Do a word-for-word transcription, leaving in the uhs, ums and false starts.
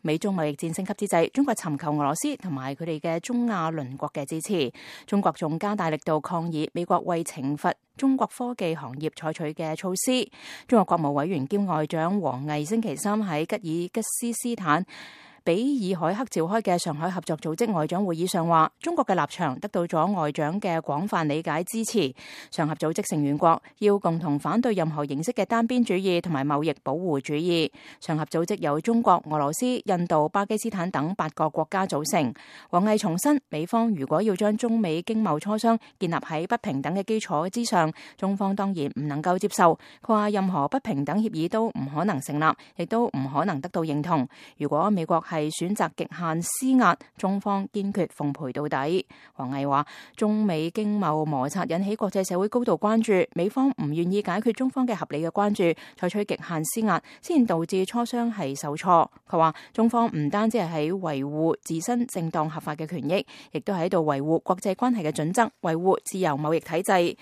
美中貿易戰升級之際，中國尋求俄羅斯同埋佢哋嘅中亞鄰國嘅支持。中國仲加大力度抗議美國為懲罰中國科技行業採取嘅措施。中國國務委員兼外長王毅星期三喺吉爾吉斯斯坦比爾海克召開嘅上海合作組織外長會議上話，中國嘅立場得到咗外長嘅廣泛理解支持。上合組織成員國要共同反對任何形式嘅單邊主義同埋貿易保護主義。上合組織由中國、俄羅斯、印度、巴基斯坦等八個國家組成。王毅重申，美方如果要將中美經貿磋商建立喺不平等嘅基礎之上，中方當然唔能夠接受。佢話任何不平等協議都唔可能成立，亦都唔可能得到認同。如果美國係選擇極限施壓，中方堅決奉陪到底。王毅話，中美經貿摩擦引起國際社會高度關注，美方唔願意解決中方嘅合理嘅關注，採取極限施壓，先導致磋商係受挫。佢話，中方唔單止係喺維護自身正當合法嘅權益，亦都喺度維護國際關係嘅準則，維護自由貿易體制。